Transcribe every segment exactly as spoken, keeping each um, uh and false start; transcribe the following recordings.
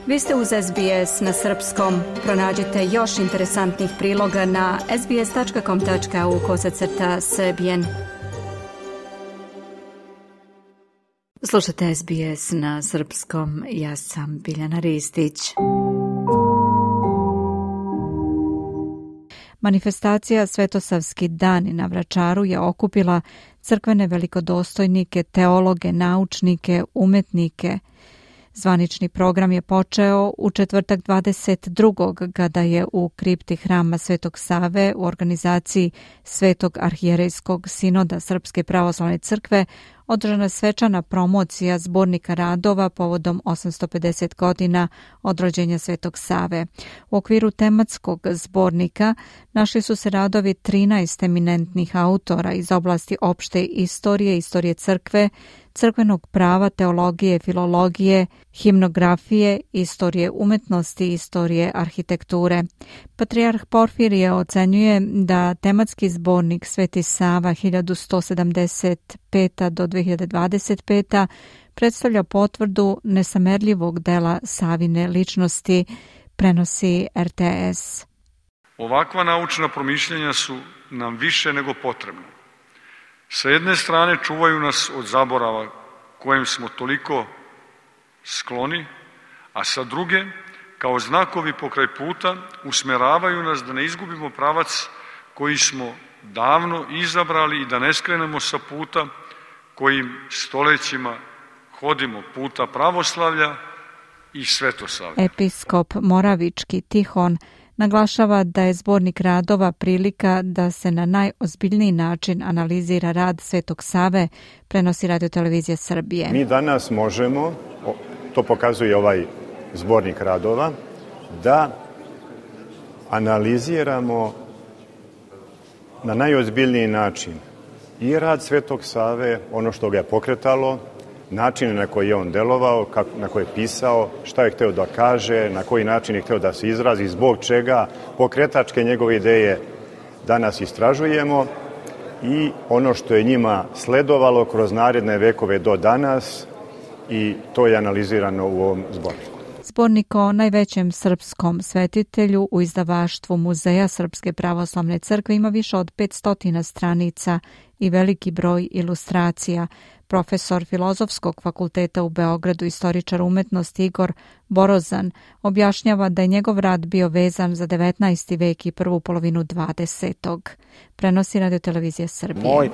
Vi ste uz S B S na srpskom. Pronađite još interesantnih priloga na sbs.com.au kosacrta srbijen. Slušajte S B S na srpskom. Ja sam Biljana Ristić. Manifestacija Svetosavski dani na Vračaru je okupila crkvene velikodostojnike, teologe, naučnike, umetnike. Zvanični program je počeo u četvrtak dvadeset drugog kada je u kripti hrama Svetog Save u organizaciji Svetog arhijerejskog sinoda Srpske pravoslavne crkve održana svečana promocija zbornika radova povodom osamsto pedeset godina od rođenja Svetog Save. U okviru tematskog zbornika našli su se radovi trinaest eminentnih autora iz oblasti opšte istorije, istorije crkve, crkvenog prava, teologije, filologije, himnografije, istorije umetnosti, istorije arhitekture. Patrijarh Porfirije ocenjuje da tematski zbornik Sveti Sava hiljadu sto sedamdeset peta do dve hiljade dvadeset peta predstavlja potvrdu nesamerljivog dela Savine ličnosti, prenosi R T S. Ovakva naučna promišljanja su nam više nego potrebna. Sa jedne strane čuvaju nas od zaborava kojem smo toliko skloni, a sa druge, kao znakovi pokraj puta, usmeravaju nas da ne izgubimo pravac koji smo davno izabrali i da ne skrenemo sa puta kojim stolećima hodimo, puta pravoslavlja i svetosavlja. Episkop Moravički Tihon naglašava da je zbornik radova prilika da se na najozbiljniji način analizira rad Svetog Save, prenosi Radio-televizija Srbije. Mi danas možemo, to pokazuje ovaj zbornik radova, da analiziramo na najozbiljniji način i rad Svetog Save, ono što ga je pokretalo, način na koji je on delovao, na koji je pisao, šta je hteo da kaže, na koji način je hteo da se izrazi, zbog čega, pokretačke njegove ideje danas istražujemo i ono što je njima sledovalo kroz naredne vekove do danas i to je analizirano u ovom zborniku. Zbornik o najvećem srpskom svetitelju u izdavaštvu Muzeja Srpske pravoslavne crkve ima više od petsto stranica i veliki broj ilustracija. Profesor Filozofskog fakulteta u Beogradu, istoričar umetnosti Igor Borozan, objašnjava da je njegov rad bio vezan za devetnaesti vek i prvu polovinu dvadesetog. Prenosi Radio-televizija Srbije. Moj e,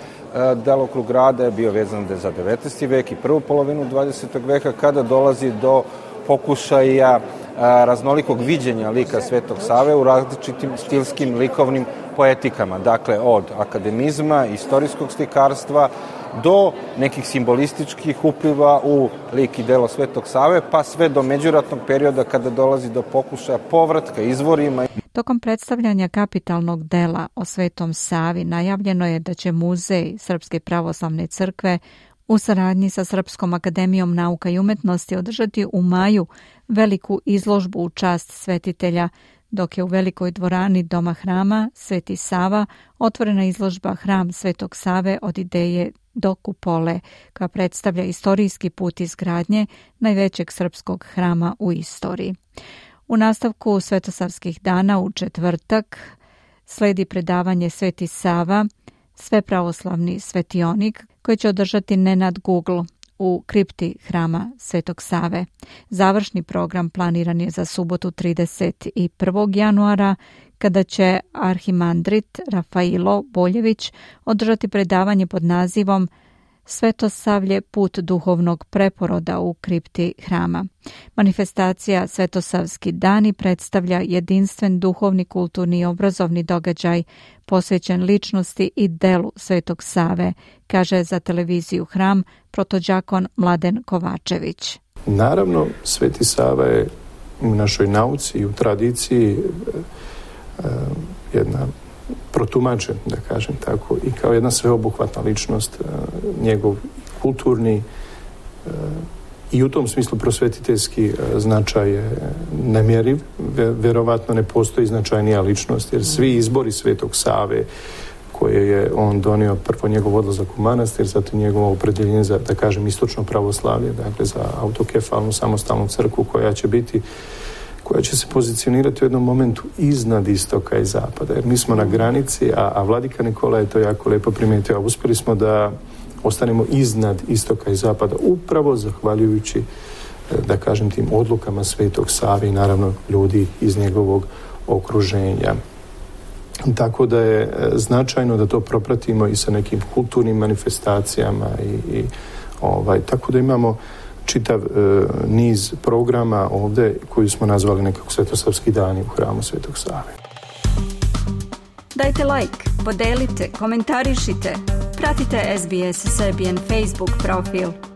delokrug rada je bio vezan za devetnaesti vek i prvu polovinu dvadesetog veka, kada dolazi do pokušaja a, raznolikog viđenja lika Svetog Save u različitim stilskim likovnim poetikama. Dakle, od akademizma, istorijskog slikarstva, do nekih simbolističkih upliva u lik i delo Svetog Save, pa sve do međuratnog perioda kada dolazi do pokušaja povratka izvorima. Tokom predstavljanja kapitalnog dela o Svetom Savi najavljeno je da će Muzej Srpske pravoslavne crkve u saradnji sa Srpskom akademijom nauka i umetnosti održati u maju veliku izložbu u čast svetitelja, dok je u velikoj dvorani Doma hrama Sveti Sava otvorena izložba Hram Svetog Save od ideje do kupole, koja predstavlja istorijski put izgradnje najvećeg srpskog hrama u istoriji. U nastavku Svetosavskih dana u četvrtak sledi predavanje Sveti Sava, svepravoslavni svetionik, koji će održati Nenad Google u kripti hrama Svetog Save. Završni program planiran je za subotu trideset prvog januara, kada će arhimandrit Rafailo Boljević održati predavanje pod nazivom Svetosavlje, put duhovnog preporoda u kripti hrama. Manifestacija Svetosavski dani predstavlja jedinstven duhovni, kulturni i obrazovni događaj posvećen ličnosti i delu Svetog Save, kaže za televiziju Hram protođakon Mladen Kovačević. Naravno, Sveti Sava je u našoj nauci i u tradiciji jedna protumačen, da kažem tako, i kao jedna sveobuhvatna ličnost, njegov kulturni i u tom smislu prosvetiteljski značaj je nemjeriv. Verovatno ne postoji značajnija ličnost, jer svi izbori Svetog Save koje je on donio, prvo njegov odlazak u manastir, zatim njegovo opredjeljenje za, da kažem, istočno pravoslavlje, dakle za autokefalnu samostalnu crkvu koja će biti, koja će se pozicionirati u jednom momentu iznad istoka i zapada, jer mi smo na granici, a, a vladika Nikola je to jako lijepo primijetio, a uspjeli smo da ostanemo iznad istoka i zapada, upravo zahvaljujući, da kažem, tim odlukama Svetog Save i naravno ljudi iz njegovog okruženja. Tako da je značajno da to propratimo i sa nekim kulturnim manifestacijama i, i ovaj, tako da imamo čitav e, niz programa ovdje koji smo nazvali nekako Svetosavski dani u hramu Svetog Save. Dajte like, podelite, komentarišite, pratite S B S Serbian Facebook profil.